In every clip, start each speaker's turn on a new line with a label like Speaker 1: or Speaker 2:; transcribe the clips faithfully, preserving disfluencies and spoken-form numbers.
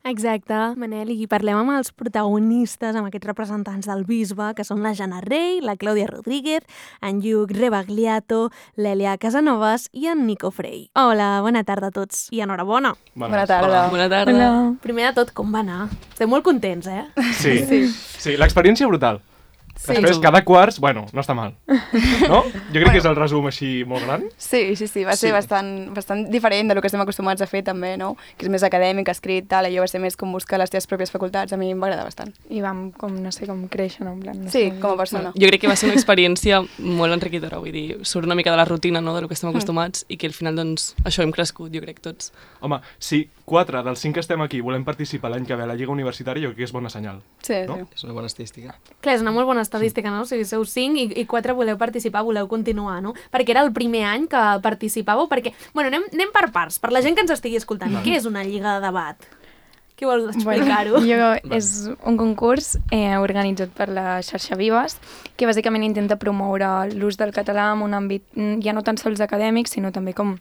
Speaker 1: Exacte, Manel, i parlem amb els protagonistes, amb aquests representants del bisbe, que són la Jana Rey, la Clàudia Rodríguez, en Lluc Rebagliato, l'Èlia Casanovas i en Nico Frey. Hola, bona tarda a tots i enhorabona.
Speaker 2: Bona tarda.
Speaker 3: Bona tarda.
Speaker 1: Hola. Primer de tot, com va anar? Estem molt contents, eh?
Speaker 2: Sí, sí, sí, l'experiència brutal.
Speaker 3: Sí.
Speaker 2: Després, cada quarts, bueno, no està mal. No? Jo crec que és el resum així molt gran.
Speaker 3: Sí, sí, sí, va ser
Speaker 2: Sí.
Speaker 3: bastant, bastant diferent de lo que estem acostumats a fer també, no? Que és més acadèmic, escrit, tal, allò va ser més com buscar les teves pròpies facultats, a mi em va agradar bastant.
Speaker 4: I vam, com, no sé, com créixer, no? En plan, no
Speaker 3: Sí,
Speaker 4: sé,
Speaker 3: com a persona.
Speaker 5: Jo crec que va ser una experiència molt enriquidora, vull dir, surt una mica de la rutina, no?, del que estem acostumats i que al final, doncs, això hem crescut, jo crec, tots.
Speaker 2: Home, si quatre dels cinc que estem aquí volem participar l'any que ve a la Lliga Universitària, jo crec que és bona senyal.
Speaker 3: Sí,
Speaker 2: No?
Speaker 3: sí.
Speaker 6: És una bona estadística.
Speaker 1: Clar, és una molt bona estadística, no? O sigui, sou cinc i, i quatre voleu participar, voleu continuar, no? Perquè era el primer any que participàveu, perquè... Bueno, anem, anem per parts, per la gent que ens estigui escoltant. Què és una lliga de debat? Qui vol explicar-ho?
Speaker 4: Bueno, jo, és un concurs eh, organitzat per la xarxa Vives que bàsicament intenta promoure l'ús del català en un àmbit mm, ja no tan sols acadèmic, sinó també com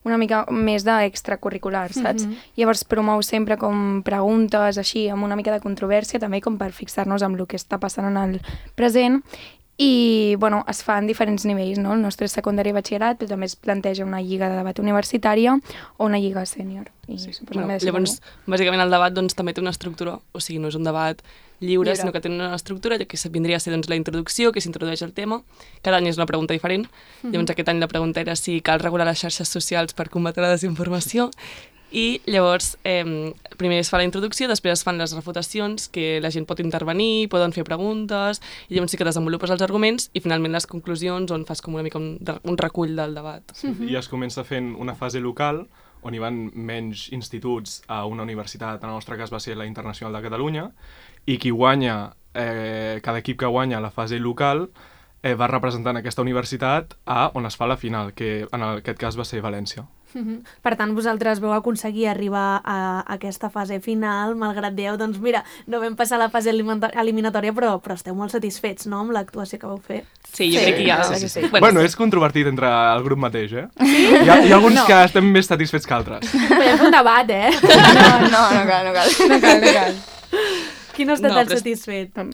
Speaker 4: una mica més d'extracurricular, saps?
Speaker 1: Mhm.
Speaker 4: Llavors promou sempre com preguntes així, amb una mica de controvèrsia, també com per fixar-nos amb el que està passant en el present. I, bueno, es fa en diferents nivells, no? El nostre és secundari i batxillerat, però també es planteja una lliga de debat universitària o una lliga sènior. I
Speaker 5: Sí.
Speaker 4: suposo
Speaker 5: Bueno,
Speaker 4: que m'he de
Speaker 5: llavors, bàsicament, el debat doncs, també té una estructura, o sigui, no és un debat lliure,
Speaker 3: Lliure.
Speaker 5: sinó que té una estructura que vindria a ser doncs, la introducció, que s'introdueix el tema. Cada any és una pregunta diferent. Llavors, aquest any la pregunta era si cal regular les xarxes socials per combatre la desinformació. I llavors, eh, primer es fa la introducció, després es fan les refutacions, que la gent pot intervenir, poden fer preguntes, i llavors sí que desenvolupes els arguments, i finalment les conclusions, on fas com una mica un, un recull del debat.
Speaker 2: I es comença fent una fase local, on hi van menys instituts a una universitat, en el nostre cas va ser la Internacional de Catalunya, i qui guanya, eh, cada equip que guanya la fase local, eh, va representant aquesta universitat a on es fa la final, que en aquest cas va ser València.
Speaker 1: Mhm. Per tant, vosaltres veu aconseguir arribar a aquesta fase final, malgrat dieu, doncs mira, no vam passar la fase elimina- eliminatòria, però, però esteu molt satisfets, no?, amb l'actuació que vau fer.
Speaker 5: Sí, jo
Speaker 3: Sí,
Speaker 5: crec que hi ha...
Speaker 3: sí, sí, sí.
Speaker 2: Bueno, bueno és controvertit entre el grup mateix, eh? Sí? Hi ha, hi ha alguns no. que estem més satisfets que altres.
Speaker 1: Podem fer un debat, eh?
Speaker 3: No, no, no cal, no cal.
Speaker 4: No cal, no cal.
Speaker 1: Qui no està
Speaker 5: No,
Speaker 1: tan
Speaker 5: però és-
Speaker 1: satisfet?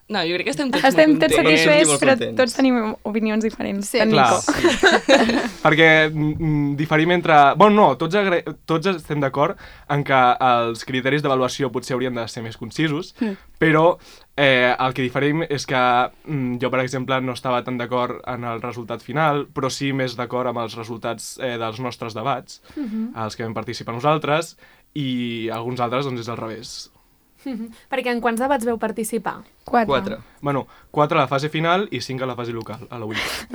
Speaker 5: No, jo crec que estem tots
Speaker 4: Estem
Speaker 5: molt
Speaker 4: tots
Speaker 5: contents.
Speaker 4: satisfets,
Speaker 6: molt
Speaker 4: però
Speaker 6: contents.
Speaker 4: tots tenim opinions diferents.
Speaker 3: Sí,
Speaker 4: en
Speaker 2: Clar,
Speaker 4: Nico.
Speaker 2: sí. Perquè mm, diferim entre... Bueno, no, tots, agra... tots estem d'acord en que els criteris d'avaluació potser haurien de ser més concisos, mm. però eh, el que diferim és que mm, jo, per exemple, no estava tan d'acord en el resultat final, però sí més d'acord amb els resultats eh, dels nostres debats,
Speaker 1: Mhm.
Speaker 2: els que vam participar nosaltres, i alguns altres doncs és al revés.
Speaker 1: Mhm. Perquè en quants debats veu participar?
Speaker 4: Quatre.
Speaker 6: Quatre.
Speaker 2: Bueno, quatre a la fase final i cinc a la fase local, a la U I C.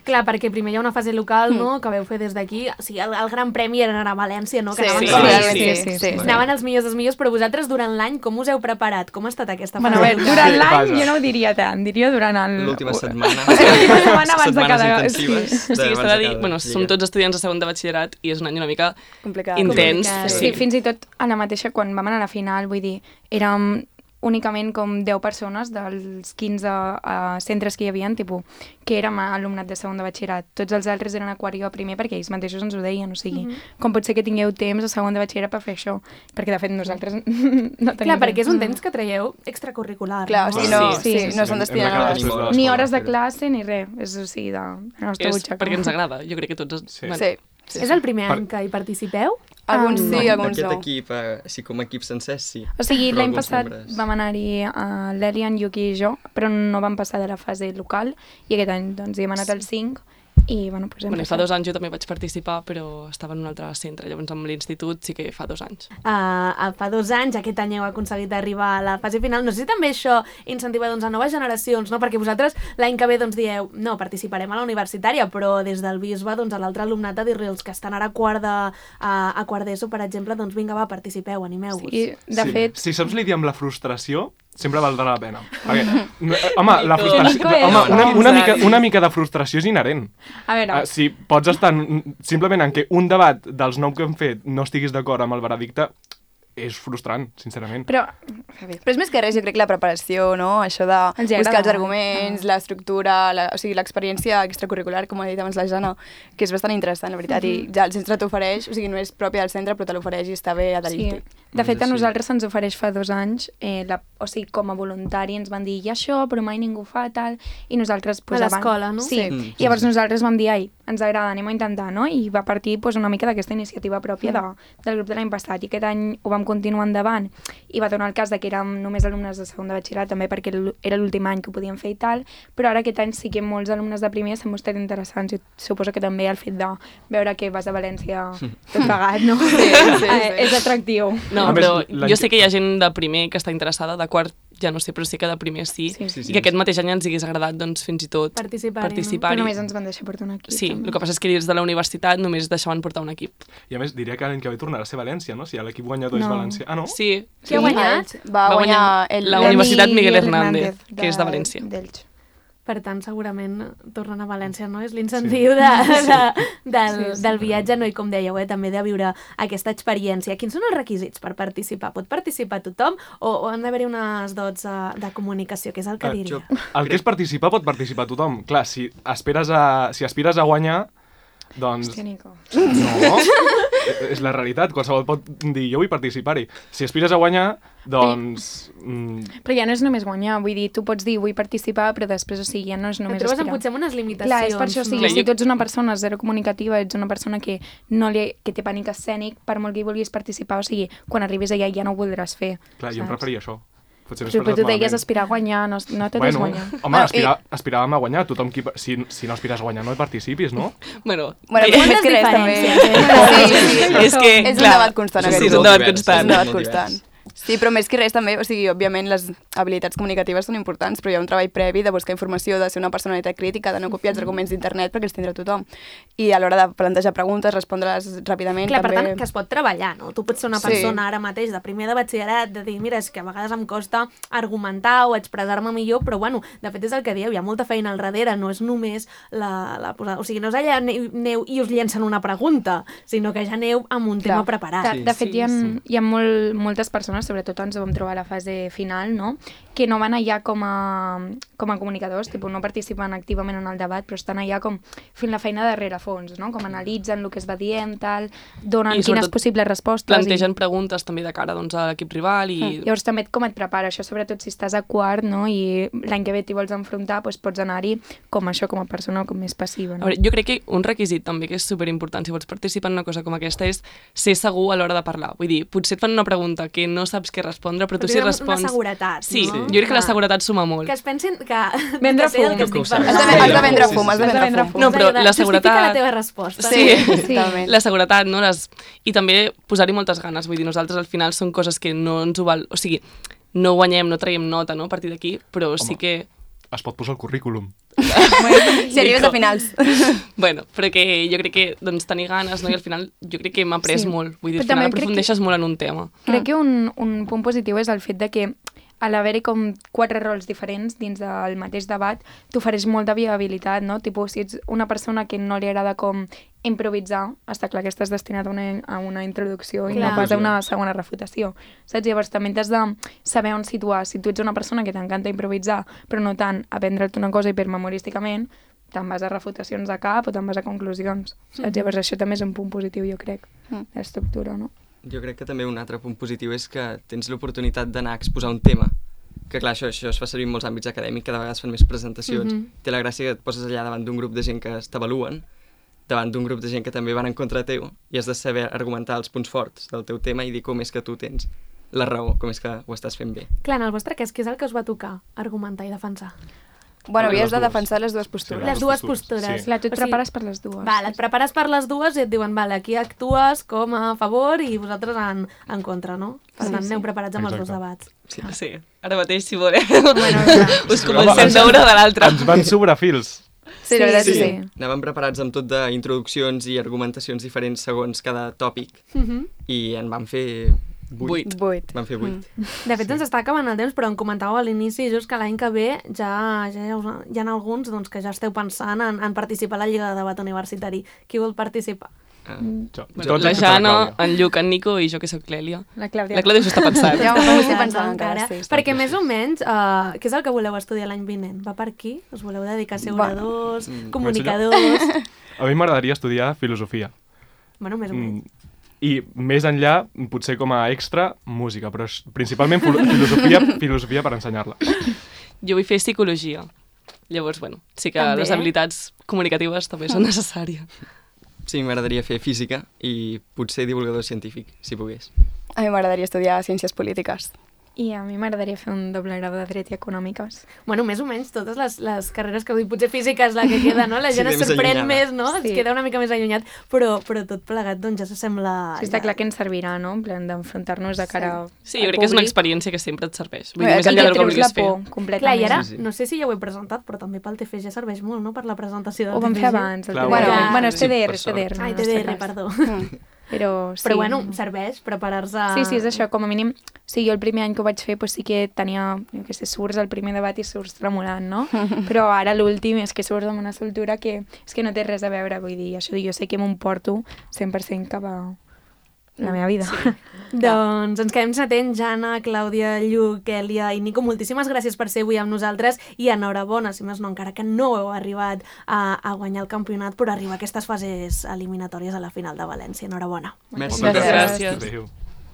Speaker 1: Clar, perquè primer hi ha una fase local, no?, que veu fer des d'aquí. O sigui, el, el gran premi era anar a València, no?, que
Speaker 3: Sí,
Speaker 1: anaven,
Speaker 5: sí,
Speaker 1: els
Speaker 5: sí,
Speaker 1: millors.
Speaker 5: sí,
Speaker 3: sí, sí, sí.
Speaker 1: Anaven els millors dels millors, però vosaltres durant l'any com us heu preparat? Com ha estat aquesta fase
Speaker 4: Bueno, a veure,
Speaker 1: local?
Speaker 4: durant
Speaker 2: Sí,
Speaker 4: l'any
Speaker 2: vaja.
Speaker 4: jo no ho diria tant, diria durant el...
Speaker 6: L'última setmana.
Speaker 4: L'última setmana abans de
Speaker 6: Setmanes
Speaker 4: cada...
Speaker 6: intensives.
Speaker 4: Sí.
Speaker 5: O sigui,
Speaker 6: abans
Speaker 5: s'ha de
Speaker 6: de
Speaker 5: dir,
Speaker 6: cada
Speaker 5: bueno,
Speaker 6: lliga.
Speaker 5: som tots estudiants de segon de batxillerat i és un any una mica
Speaker 3: Complicat.
Speaker 5: intens.
Speaker 1: Complicat.
Speaker 4: Sí, fins i tot a la mateixa, quan vam anar a la final, vull dir, érem únicament com deu persones dels quinze uh, centres que hi havia, tipus, que érem alumnat de segon de batxillerat. Tots els altres eren a quart i a primer perquè ells mateixos ens ho deien, o sigui,
Speaker 1: Mhm.
Speaker 4: com pot ser que tingueu temps a segon de batxillerat per fer això? Perquè, de fet, nosaltres no tenim
Speaker 1: Clar, perquè és un
Speaker 4: temps.
Speaker 1: temps que traieu extracurricular,
Speaker 3: Clar, o
Speaker 1: no?
Speaker 3: sigui, no,
Speaker 5: Sí,
Speaker 3: sí,
Speaker 4: sí,
Speaker 3: no
Speaker 2: sí.
Speaker 3: s'han
Speaker 2: Hem
Speaker 3: destinat
Speaker 2: d'acabar
Speaker 3: a
Speaker 2: després de
Speaker 3: l'escola.
Speaker 2: l'escola.
Speaker 4: Ni hores de classe ni res, és o sigui, de la nostra
Speaker 5: És
Speaker 4: butxaca.
Speaker 5: perquè ens agrada, jo crec que tots...
Speaker 2: Sí.
Speaker 5: bueno,
Speaker 3: Sí.
Speaker 5: sí,
Speaker 1: És el primer any que hi participeu?
Speaker 3: Alguns
Speaker 4: Ah,
Speaker 3: sí,
Speaker 4: no.
Speaker 3: alguns
Speaker 6: Aquest
Speaker 3: no.
Speaker 6: equip, eh, sí, com a equip sencer, sí.
Speaker 4: O sigui,
Speaker 6: Però
Speaker 4: l'any
Speaker 6: alguns
Speaker 4: passat
Speaker 6: membres-
Speaker 4: vam anar-hi a l'Èlia, en Lluc i jo, però no vam passar de la fase local, i aquest any doncs, hi hem anat al cinc, i bueno, doncs hem
Speaker 5: Bueno, i fa
Speaker 4: passat.
Speaker 5: dos anys jo també vaig participar, però estava en un altre centre, llavors amb l'institut sí que fa dos anys.
Speaker 1: Uh, fa dos anys, aquest any heu aconseguit arribar a la fase final. No sé si també això incentiva doncs, a noves generacions, no? Perquè vosaltres l'any que ve doncs, dieu no, participarem a la universitària, però des del bisbe doncs, a l'altre alumnat a dir-li els que estan ara a quart de, a, a quart d'ESO, per exemple, doncs vinga, va, participeu, animeu-vos.
Speaker 4: I, de
Speaker 2: sí.
Speaker 4: fet,
Speaker 2: Si saps lidiar amb la frustració, sempre valdrà la pena. Perquè, no, eh, home, la frustració,
Speaker 4: Nico és-
Speaker 2: home una, una,
Speaker 5: No,
Speaker 2: mica,
Speaker 5: no.
Speaker 2: una mica de frustració és inherent.
Speaker 4: a veure,
Speaker 2: Uh, si pots estar en, simplement en què un debat dels nou que hem fet no estiguis d'acord amb el veredicte, és frustrant, sincerament.
Speaker 4: Però,
Speaker 3: Però és més que res, jo crec, la preparació, no? Això de
Speaker 4: Els hi
Speaker 3: buscar els
Speaker 4: agrada.
Speaker 3: arguments, l'estructura, la, o sigui, l'experiència extracurricular, com ha dit abans la Jana, que és bastant interessant, la veritat, i ja el centre t'ofereix, o sigui, no és pròpia del centre, però te l'ofereix i està bé
Speaker 4: sí.
Speaker 3: adherir-t'hi.
Speaker 4: De fet, a
Speaker 6: Sí.
Speaker 4: nosaltres se'ns ofereix fa dos anys, eh, la, o sigui, com a voluntari ens van dir, hi ha això, però mai ningú fa tal, i nosaltres... Pues,
Speaker 1: A
Speaker 4: abans-
Speaker 1: l'escola, no?
Speaker 4: Sí,
Speaker 3: Sí.
Speaker 6: Mm, sí,
Speaker 4: llavors
Speaker 6: sí.
Speaker 4: nosaltres vam dir, ai, ens agrada, anem a intentar, no? I va partir pues, una mica d'aquesta iniciativa pròpia de, del grup de l'any passat, i aquest any ho vam continuar endavant, i va donar el cas de que érem només alumnes de segon de batxillerat, també perquè l'u- era l'últim any que ho podíem fer i tal, però ara aquest any sí que molts alumnes de primer s'han mostrat interessants, i suposo que també el fet de veure que vas a València tot pagat, no?
Speaker 3: Sí, sí, sí.
Speaker 4: Eh, és atractiu.
Speaker 5: No,
Speaker 2: A més,
Speaker 5: però
Speaker 2: l'any
Speaker 5: jo
Speaker 2: que-
Speaker 5: sé que hi ha gent de primer que està interessada, de quart ja no sé, però sí que de primer sí,
Speaker 4: Sí.
Speaker 6: Sí, sí.
Speaker 5: i que aquest mateix any ens hagués agradat doncs, fins i tot
Speaker 1: Participar-hi, no?
Speaker 5: participar
Speaker 4: Però només ens van deixar portar un equip.
Speaker 5: Sí,
Speaker 4: també.
Speaker 5: el que passa és que dins de la universitat només deixaven portar un equip.
Speaker 2: I a més, diria que l'any que ve tornarà a ser València, no? Si l'equip guanyador és
Speaker 4: No.
Speaker 2: València. Ah, no?
Speaker 5: Sí,
Speaker 1: Qui ha guanyat?
Speaker 3: Va,
Speaker 5: Va
Speaker 3: guanyar
Speaker 5: guanyar
Speaker 3: el...
Speaker 5: la
Speaker 3: el-
Speaker 5: Universitat Miguel
Speaker 4: Miguel
Speaker 5: Hernández, que és de València.
Speaker 4: d'Elx.
Speaker 1: Per tant, segurament tornen a València, no? És l'incentiu de, de, del,
Speaker 4: Sí, sí.
Speaker 1: del viatge, no? I com dèieu, eh? també de viure aquesta experiència. Quins són els requisits per participar? Pot participar tothom o, o han d'haver-hi unes dots uh, de comunicació, que és el que
Speaker 2: Ah,
Speaker 1: diria?
Speaker 6: jo-
Speaker 2: El que és participar pot participar tothom. Clar, si aspires a, si aspires a guanyar, doncs...
Speaker 4: Hòstia, Nico.
Speaker 2: No, és la realitat. Qualsevol pot dir, jo vull participar-hi. Si aspires a guanyar, doncs... Mm,
Speaker 4: Però ja no és només guanyar, vull dir, tu pots dir vull participar, però després, o sigui, ja no és
Speaker 1: Et
Speaker 4: només
Speaker 1: trobes amb,
Speaker 4: aspirar.
Speaker 1: potser amb unes limitacions.
Speaker 4: Clar, és per això, o sigui,
Speaker 5: Clar,
Speaker 4: si
Speaker 5: jo-
Speaker 4: tu ets una persona zero comunicativa, ets una persona que no li, que té pànic escènic, per molt que hi vulguis participar, o sigui, quan arribis allà ja no ho voldràs fer.
Speaker 2: clar, jo em
Speaker 4: saps?
Speaker 2: preferia això. Potser m'he
Speaker 4: Però, però
Speaker 2: expressat
Speaker 4: tu deies
Speaker 2: malament.
Speaker 4: aspirar a guanyar, no, no te
Speaker 2: Bueno,
Speaker 4: guanyar.
Speaker 2: home,
Speaker 3: Bueno,
Speaker 2: aspira, aspiràvem a guanyar. Tothom qui... Si, si no aspires a guanyar, no hi participis, no?
Speaker 5: Bueno,
Speaker 3: Bueno,
Speaker 5: eh,
Speaker 3: més
Speaker 1: Quantes
Speaker 3: que res, també.
Speaker 1: diferències,
Speaker 3: Sí, sí, sí.
Speaker 5: és que,
Speaker 3: És un
Speaker 5: clar,
Speaker 3: debat constant,
Speaker 5: sí,
Speaker 3: aquest
Speaker 5: sí, és un
Speaker 3: grup.
Speaker 5: debat
Speaker 6: divers,
Speaker 5: constant.
Speaker 3: És un debat
Speaker 6: molt
Speaker 3: constant.
Speaker 6: divers.
Speaker 3: Sí, però més que res també, o sigui, òbviament les habilitats comunicatives són importants, però hi ha un treball previ de buscar informació, de ser una personalitat crítica, de no copiar els arguments d'internet perquè els tindrà tothom. I a l'hora de plantejar preguntes, respondre-les ràpidament,
Speaker 1: Clar, per
Speaker 3: també...
Speaker 1: tant, que es pot treballar, no? Tu pots ser una
Speaker 3: Sí.
Speaker 1: persona ara mateix de primer de batxillerat, de dir, mira, és que a vegades em costa argumentar o expressar-me millor, però bueno, de fet és el que dieu, hi ha molta feina al darrere, no és només la, la posada... O sigui, no és allà aneu, aneu i us llencen una pregunta, sinó que ja aneu amb un tema
Speaker 3: Clar.
Speaker 1: preparat.
Speaker 4: De, de fet,
Speaker 5: Sí,
Speaker 4: hi ha,
Speaker 5: sí.
Speaker 4: hi ha molt, moltes persones, sobretot ens ho vam trobar a la fase final, no? Que no van allà com a, com a comunicadors, tipus, no participen activament en el debat, però estan allà com fent la feina de rerefons, no? Com analitzen el que es va dient, tal, donen
Speaker 5: I
Speaker 4: quines
Speaker 5: sobretot
Speaker 4: possibles respostes.
Speaker 5: plantegen preguntes també de cara doncs, a l'equip rival i...
Speaker 4: I... Llavors també et- com et prepara això, sobretot si estàs a quart, no? I l'any que ve t'hi vols enfrontar, doncs pots anar-hi com això, com a persona com més passiva,
Speaker 5: A
Speaker 4: no?
Speaker 5: veure, jo crec que un requisit també que és superimportant si vols participar en una cosa com aquesta és ser segur a l'hora de parlar. Vull dir, potser et fan una pregunta que no saps què respondre, però tu
Speaker 1: Però
Speaker 5: si
Speaker 1: una
Speaker 5: respons...
Speaker 1: seguretat,
Speaker 5: Sí,
Speaker 1: no?
Speaker 5: jo crec que la
Speaker 1: Clar.
Speaker 5: seguretat suma molt.
Speaker 1: Que es pensin que...
Speaker 4: Vendre
Speaker 1: que sé del
Speaker 4: fum.
Speaker 1: que
Speaker 6: Que ho
Speaker 1: estic
Speaker 6: saps.
Speaker 1: parlant.
Speaker 3: Has de, has de vendre
Speaker 6: Sí,
Speaker 3: fum, has de
Speaker 4: sí, sí.
Speaker 3: vendre fum.
Speaker 5: No, però la
Speaker 1: Justifica
Speaker 5: seguretat-
Speaker 1: la teva resposta.
Speaker 5: Sí.
Speaker 3: Totalment.
Speaker 5: La seguretat, no? Les... I també posar-hi moltes ganes. Vull dir, nosaltres al final són coses que no ens ho val... O sigui, no guanyem, no traiem nota, no?, a partir d'aquí, però sí
Speaker 2: Home.
Speaker 5: que...
Speaker 2: Es pot posar al currículum.
Speaker 3: Si arribes a finals.
Speaker 5: Bueno, però que jo crec que doncs, tenir ganes, no? I al final jo crec que hem après
Speaker 4: Sí.
Speaker 5: molt. Vull dir,
Speaker 4: Però
Speaker 5: al final
Speaker 4: també crec que-
Speaker 5: aprofundeixes molt en un tema.
Speaker 4: Crec que un, un punt positiu és el fet de que a l'haver-hi com quatre rols diferents dins del mateix debat, t'ofereix molta viabilitat, no? Tipo, si ets una persona que no li agrada com improvisar, està clar que estàs destinat a una, a una introducció i
Speaker 1: Clar.
Speaker 4: no pas a una segona refutació. Saps? Llavors també t'has de saber on situar. Si tu ets una persona que t'encanta improvisar, però no tant aprendre't una cosa hipermemorísticament, te'n vas a refutacions de cap o te'n vas a conclusions. Saps? Llavors això també és un punt positiu, jo crec,
Speaker 3: Mm.
Speaker 4: l'estructura, no?
Speaker 6: Jo crec que també un altre punt positiu és que tens l'oportunitat d'anar a exposar un tema. Que clar, això, això es fa servir en molts àmbits acadèmics, que de vegades fan més presentacions.
Speaker 1: Mhm.
Speaker 6: Té la gràcia que et poses allà davant d'un grup de gent que t'avaluen, davant d'un grup de gent que també van en contra teu, i has de saber argumentar els punts forts del teu tema i dir com és que tu tens la raó, com és que ho estàs fent bé.
Speaker 1: Clar, en el vostre cas, què és el que us va tocar argumentar i defensar?
Speaker 3: Bueno,
Speaker 2: Les
Speaker 3: havies de
Speaker 2: dues.
Speaker 3: defensar les dues postures.
Speaker 2: Sí,
Speaker 1: Les dues postures.
Speaker 2: postures,
Speaker 1: Sí.
Speaker 4: Clar, tu et
Speaker 1: O sigui,
Speaker 4: prepares per les dues.
Speaker 1: Vale, et prepares per les dues i et diuen, vale, aquí actues com a favor i vosaltres en, en contra, no? Per
Speaker 4: Sí,
Speaker 1: tant,
Speaker 4: sí.
Speaker 1: aneu preparats amb els dos
Speaker 2: Exacte.
Speaker 1: debats.
Speaker 6: Sí.
Speaker 5: Sí, ara mateix, si voleu,
Speaker 4: Bueno,
Speaker 5: us
Speaker 2: Home,
Speaker 5: comencem
Speaker 2: ens-
Speaker 5: d'una o de l'altra.
Speaker 2: Ens van sobrar fils.
Speaker 3: Sí, la veritat
Speaker 4: sí,
Speaker 3: és que
Speaker 4: sí.
Speaker 3: sí.
Speaker 6: Anàvem preparats amb tot d'introduccions i argumentacions diferents segons cada tòpic,
Speaker 1: Mhm.
Speaker 6: i en vam fer vuit.
Speaker 5: Vuit.
Speaker 3: Vuit.
Speaker 6: Vam fer vuit.
Speaker 1: De fet, ens està acabant el temps, però em comentàveu a l'inici just que l'any que ve ja, ja hi ha, hi ha alguns doncs, que ja esteu pensant en, en participar a la Lliga de Debat Universitari. Qui vol participar?
Speaker 6: Uh,
Speaker 2: Jo.
Speaker 5: Bueno,
Speaker 2: Tots
Speaker 5: la
Speaker 2: excepte
Speaker 5: Jana,
Speaker 2: Clàudia.
Speaker 5: en Lluc, en Nico i jo que sóc l'Èlia.
Speaker 4: La Clàudia.
Speaker 5: La Clàudia s'ho està pensant.
Speaker 3: Ja ho
Speaker 1: Pensant,
Speaker 3: estic pensant encara, sí.
Speaker 1: Perquè més o menys, uh, què és el que voleu estudiar l'any vinent? Va per aquí? Us voleu dedicar a ser oradors,
Speaker 6: mm,
Speaker 1: comunicadors?
Speaker 2: A mi m'agradaria estudiar filosofia.
Speaker 1: Bueno, més o menys.
Speaker 2: Mm, I més enllà, potser com a extra, música, però és principalment filo- filosofia, filosofia per ensenyar-la.
Speaker 5: Jo vull fer psicologia. Llavors, bueno, sí que
Speaker 1: També.
Speaker 5: les habilitats comunicatives també són necessàries.
Speaker 6: Sí, m'agradaria fer física i potser divulgador científic, si pogués.
Speaker 3: A mi m'agradaria estudiar Ciències Polítiques.
Speaker 4: I a mi m'agradaria fer un doble grau de Dret i Econòmiques.
Speaker 1: Bueno, més o menys totes les, les carreres que vull, potser física és la que queda, no? La
Speaker 6: Sí,
Speaker 1: gent es
Speaker 6: més
Speaker 1: sorprèn
Speaker 6: allunyada.
Speaker 1: més, no?
Speaker 4: Sí.
Speaker 1: Es queda una mica més allunyat, però, però tot plegat, doncs, ja s'assembla...
Speaker 4: Sí, està clar que ens servirà, no? En plan d'enfrontar-nos de cara
Speaker 5: Sí, jo crec que és una experiència que sempre et serveix. Vull dir,
Speaker 3: Bé,
Speaker 5: més
Speaker 3: que
Speaker 5: enllà
Speaker 4: que
Speaker 5: del que
Speaker 4: treus la
Speaker 5: vulguis fer.
Speaker 4: por
Speaker 1: Clar,
Speaker 4: completament.
Speaker 1: i ara,
Speaker 6: Sí, sí.
Speaker 1: no sé si ja ho he presentat, però també pel T F G serveix molt, no?, per la presentació del
Speaker 4: Ho vam
Speaker 1: T F G.
Speaker 4: fer abans. El
Speaker 2: Clar,
Speaker 4: T D R.
Speaker 1: bueno,
Speaker 4: Bueno, bueno, és
Speaker 6: sí,
Speaker 4: T D R,
Speaker 6: per
Speaker 4: és T D R.
Speaker 1: Ai,
Speaker 4: en
Speaker 1: T
Speaker 4: el
Speaker 1: D
Speaker 4: nostre
Speaker 1: R,
Speaker 4: cas.
Speaker 1: perdó.
Speaker 4: Però sí.
Speaker 1: Però bueno, serveix preparar-se...
Speaker 4: Sí, sí, és això, com a mínim, sí, jo el primer any que ho vaig fer pues, sí que tenia, jo què sé, surts al primer debat i surts tremolant, no? Però ara l'últim és que surts amb una soltura que és que no té res a veure, vull dir, això jo sé que m'emporto cent per cent cap a la meva vida. Sí.
Speaker 1: Doncs ens quedem atents, Jana, Clàudia, Lluc, Èlia i Nico. Moltíssimes gràcies per ser avui amb nosaltres i enhorabona, si més no, encara que no heu arribat a, a guanyar el campionat, però arribar a aquestes fases eliminatòries a la final de València. Enhorabona.
Speaker 6: Merci.
Speaker 5: Moltes
Speaker 3: Gràcies.
Speaker 5: gràcies.
Speaker 2: Adéu.